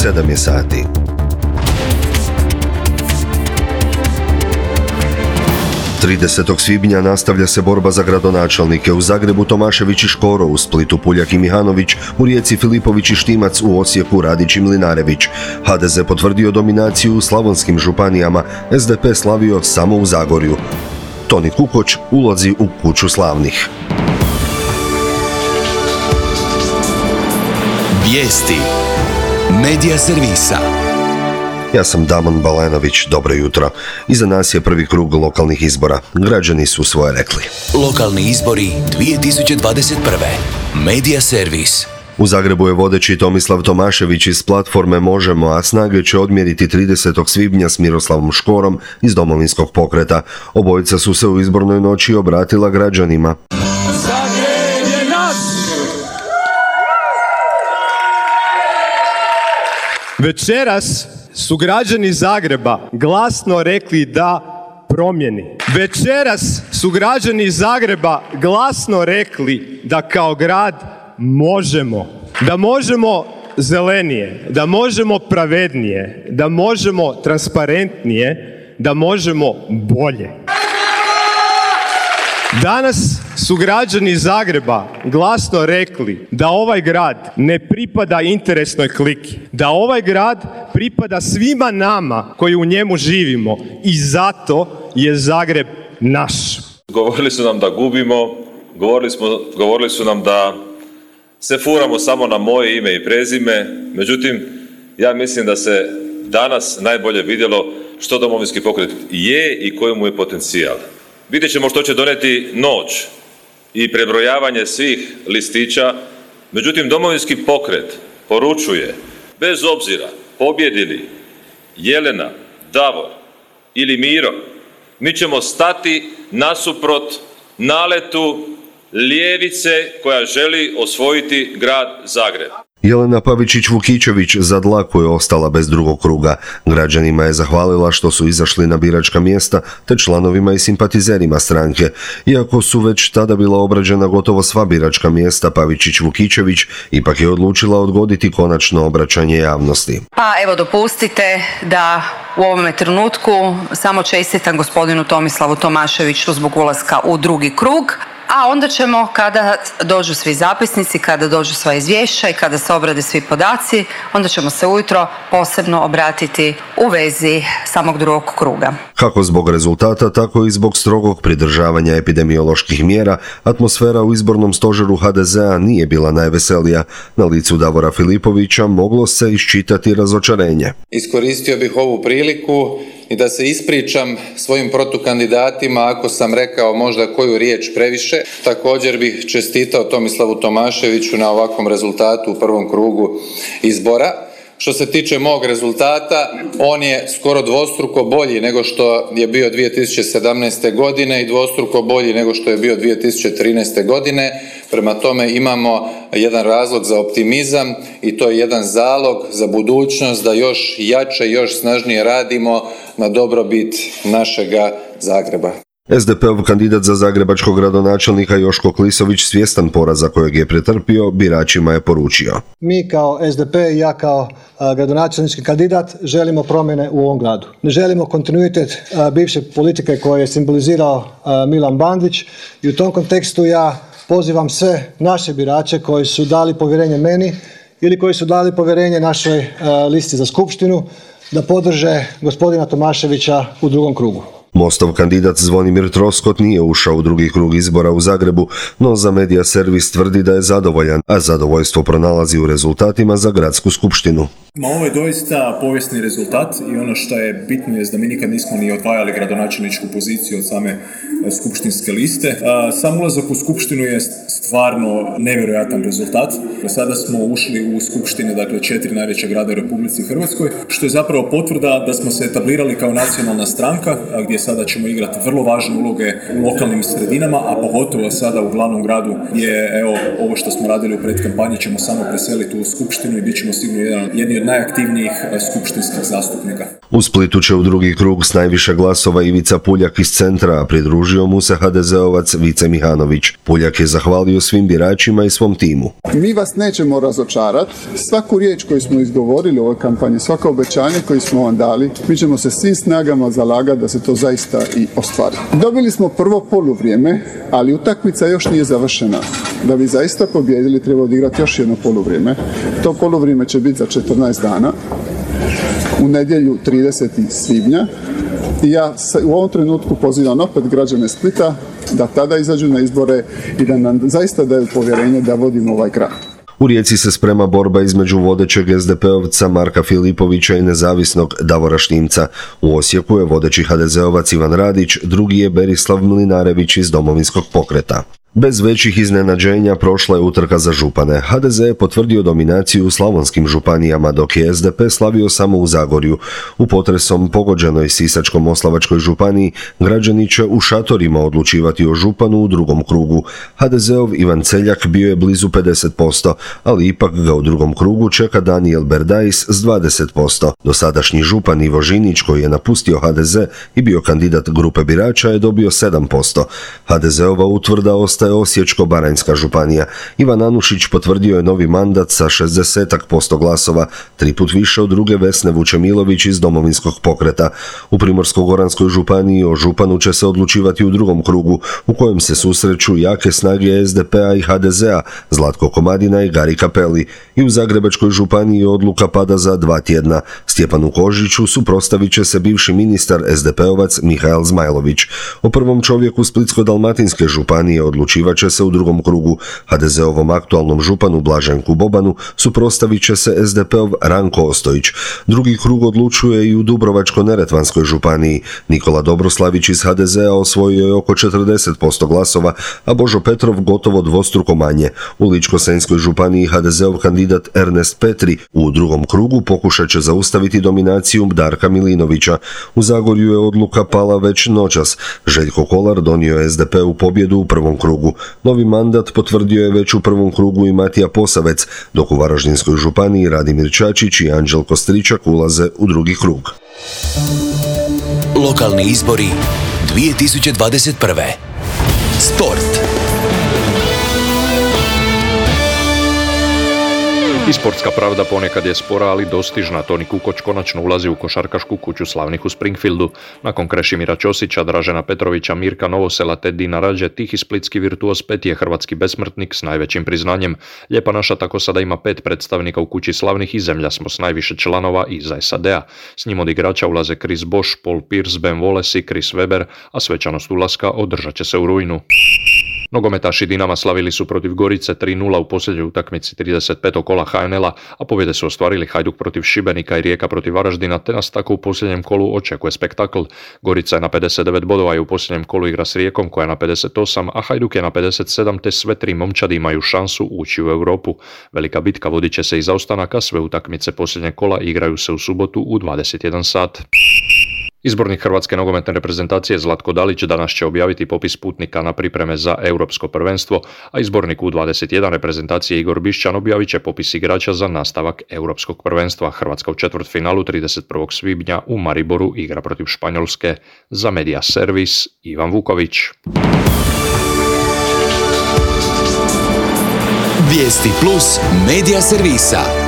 7 je sati. Tridesetog svibnja nastavlja se borba za gradonačelnike. U Zagrebu Tomašević i Škoro, u Splitu Puljak i Mihanović, u Rijeci Filipović i Štimac, u Osijeku Radić i Mlinarević. HDZ potvrdio dominaciju u slavonskim županijama, SDP slavio samo u Zagorju. Toni Kukoč ulazi u kuću slavnih. Vijesti Medija servisa. Ja sam Damon Balenović, dobro jutro. Iza nas je prvi krug lokalnih izbora. Građani su svoje rekli. Lokalni izbori 2021. Medija servis. U Zagrebu je vodeći Tomislav Tomašević iz platforme Možemo, a snage će odmjeriti 30. svibnja s Miroslavom Škorom iz Domovinskog pokreta. Obojica su se u izbornoj noći obratila građanima. Zagreb je naš! Večeras su građani Zagreba glasno rekli da promjeni. Večeras su građani Zagreba glasno rekli da kao grad možemo. Da možemo zelenije, da možemo pravednije, da možemo transparentnije, da možemo bolje. Danas su građani Zagreba glasno rekli da ovaj grad ne pripada interesnoj kliki, da ovaj grad pripada svima nama koji u njemu živimo i zato je Zagreb naš. Govorili su nam da gubimo, govorili su nam da se furamo samo na moje ime i prezime, međutim, ja mislim da se danas najbolje vidjelo što Domovinski pokret je i koji mu je potencijal. Vidjet ćemo što će donijeti noć i prebrojavanje svih listića, međutim Domovinski pokret poručuje, bez obzira pobjedili Jelena, Davor ili Miro, mi ćemo stati nasuprot naletu ljevice koja želi osvojiti grad Zagreb. Jelena Pavičić-Vukičević za dlaku je ostala bez drugog kruga. Građanima je zahvalila što su izašli na biračka mjesta te članovima i simpatizerima stranke. Iako su već tada bila obrađena gotovo sva biračka mjesta, Pavičić-Vukičević ipak je odlučila odgoditi konačno obraćanje javnosti. Pa evo dopustite da u ovome trenutku samo čestitam gospodinu Tomislavu Tomaševiću zbog ulaska u drugi krug. A onda ćemo, kada dođu svi zapisnici, kada dođu sva izvješća i kada se obrade svi podaci, onda ćemo se ujutro posebno obratiti u vezi samog drugog kruga. Kako zbog rezultata, tako i zbog strogog pridržavanja epidemioloških mjera, atmosfera u izbornom stožeru HDZ-a nije bila najveselija. Na licu Davora Filipovića moglo se iščitati razočarenje. Iskoristio bih ovu priliku i da se ispričam svojim protukandidatima ako sam rekao možda koju riječ previše. Također bih čestitao Tomislavu Tomaševiću na ovakvom rezultatu u prvom krugu izbora. Što se tiče mog rezultata, on je skoro dvostruko bolji nego što je bio 2017. godine i dvostruko bolji nego što je bio 2013. godine. Prema tome imamo jedan razlog za optimizam i to je jedan zalog za budućnost da još jače, još snažnije radimo na dobrobit našega Zagreba. SDP-ov kandidat za zagrebačkog gradonačelnika Joško Klisović, svjestan poraza kojeg je pretrpio, biračima je poručio. Mi kao SDP i ja kao gradonačelnički kandidat želimo promjene u ovom gradu. Ne želimo kontinuitet bivše politike koje je simbolizirao Milan Bandić i u tom kontekstu ja pozivam sve naše birače koji su dali povjerenje meni ili koji su dali povjerenje našoj listi za skupštinu da podrže gospodina Tomaševića u drugom krugu. Mostov kandidat Zvonimir Troskot nije ušao u drugi krug izbora u Zagrebu, no za Medija servis tvrdi da je zadovoljan, a zadovoljstvo pronalazi u rezultatima za gradsku skupštinu. Ovo je doista povijesni rezultat i ono što je bitno je da mi nikad nismo ni odvajali gradonačelničku poziciju od same skupštinske liste. Sam ulazak u skupštinu je stvarno nevjerojatan rezultat. Sada smo ušli u skupštine, dakle 4 najveća grada u Republici Hrvatskoj, što je zapravo potvrda da smo se etablirali kao nacionalna stranka, gdje sada ćemo igrati vrlo važne uloge u lokalnim sredinama, a pogotovo sada u glavnom gradu je ovo što smo radili u predkampanji ćemo samo preseliti u skupštinu i bit ćemo sigurno jedni od najaktivnijih skupštinskih zastupnika. U Splitu će u drugi krug s najviše glasova Ivica Puljak iz centra, a pridružio mu se HDZ-ovac Vice Mihanović. Puljak je zahvalio zahvalio svim biračima i svom timu. Mi vas nećemo razočarati. Svaku riječ koju smo izgovorili u ovoj kampanji, svako obećanje koje smo vam dali, mi ćemo se svim snagama zalagati da se to zaista i ostvari. Dobili smo prvo poluvrijeme, ali utakmica još nije završena. Da bi zaista pobijedili, treba odigrati još jedno poluvrijeme. To poluvrijeme će biti za 14 dana, u nedjelju 30. svibnja. I ja u ovom trenutku pozivam opet građane Splita da tada izađu na izbore i da nam zaista daju povjerenje da vodimo ovaj grad. U Rijeci se sprema borba između vodećeg SDP-ovca Marka Filipovića i nezavisnog Davora Štimca. U Osijeku je vodeći HDZ-ovac Ivan Radić, drugi je Berislav Mlinarević iz Domovinskog pokreta. Bez većih iznenađenja prošla je utrka za župane. HDZ je potvrdio dominaciju u slavonskim županijama, dok je SDP slavio samo u Zagorju. U potresom pogođenoj Sisačko-moslavačkoj županiji građani će u šatorima odlučivati o županu u drugom krugu. HDZ-ov Ivan Celjak bio je blizu 50%, ali ipak ga u drugom krugu čeka Danijel Berdajs s 20%. Dosadašnji župan Ivo Žinić, koji je napustio HDZ i bio kandidat grupe birača, je dobio 7%. HDZ-ova utvrda ostaje Osječko-baranjska županija. Ivan Anušić potvrdio je novi mandat sa 60% glasova, 3 put više od druge Vesne Vučemilović iz Domovinskog pokreta. U Primorsko-goranskoj županiji o županu će se odlučivati u drugom krugu, u kojem se susreću jake snage SDP-a i HDZ-a, Zlatko Komadina i Gari Kapeli. I u Zagrebačkoj županiji odluka pada za 2 tjedna. Stjepanu Kožiću suprotstavit će se bivši ministar SDP-ovac Mihael Zmajlović. O prvom čovjeku Splitsko-dalmatinske županije odlučivat će se u drugom krugu. HDZ-ovom aktualnom županu Blaženku Bobanu suprotstavit će se SDP-ov Ranko Ostojić. Drugi krug odlučuje i u Dubrovačko-neretvanskoj županiji. Nikola Dobroslavić iz HDZ-a osvojio je oko 40% glasova, a Božo Petrov gotovo dvostruko manje. U Ličko-senjskoj županiji HDZ-ov kandidat Ernest Petri u drugom krugu pokušat će zaustaviti dominaciju Darka Milinovića. U Zagorju je odluka pala već noćas. Željko Kolar donio je SDP-u pobjedu u prvom krugu. Novi mandat potvrdio je već u prvom krugu i Matija Posavec, dok u Varaždinskoj županiji Radimir Čačić i Anđelko Stričak ulaze u drugi krug. Lokalni izbori 2021. Sport. I sportska pravda ponekad je spora, ali dostižna. Toni Kukoč konačno ulazi u košarkašku kuću slavnih u Springfieldu. Nakon Krešimira Ćosića, Dražena Petrovića, Mirka Novosela te Dina Rađe, tihi splitski virtuoz Pet je hrvatski besmrtnik s najvećim priznanjem. Lijepa naša tako sada ima 5 predstavnika u kući slavnih i zemlja smo s najviše članova iza SAD-a. S njim od igrača ulaze Chris Bosh, Paul Pierce, Ben Wallace i Chris Weber, a svečanost ulaska održat će se u rujnu. Nogometaši Dinama slavili su protiv Gorice 3-0 u posljednjoj utakmici 35. kola HNL-a, a pobjede su ostvarili Hajduk protiv Šibenika i Rijeka protiv Varaždina, te nas tako u posljednjem kolu očekuje spektakl. Gorica je na 59 bodova i u posljednjem kolu igra s Rijekom koja je na 58, a Hajduk je na 57, te sve 3 momčadi imaju šansu ući u Europu. Velika bitka vodit će se iza ostanaka, sve utakmice posljednjeg kola igraju se u subotu u 21 sat. Izbornik hrvatske nogometne reprezentacije Zlatko Dalić danas će objaviti popis putnika na pripreme za europsko prvenstvo, a izbornik U21 reprezentacije Igor Bišćan objavit će popis igrača za nastavak europskog prvenstva. Hrvatska u četvrtfinalu 31. svibnja u Mariboru igra protiv Španjolske. Za Media Servis Ivan Vuković. Vijesti plus Media Servisa.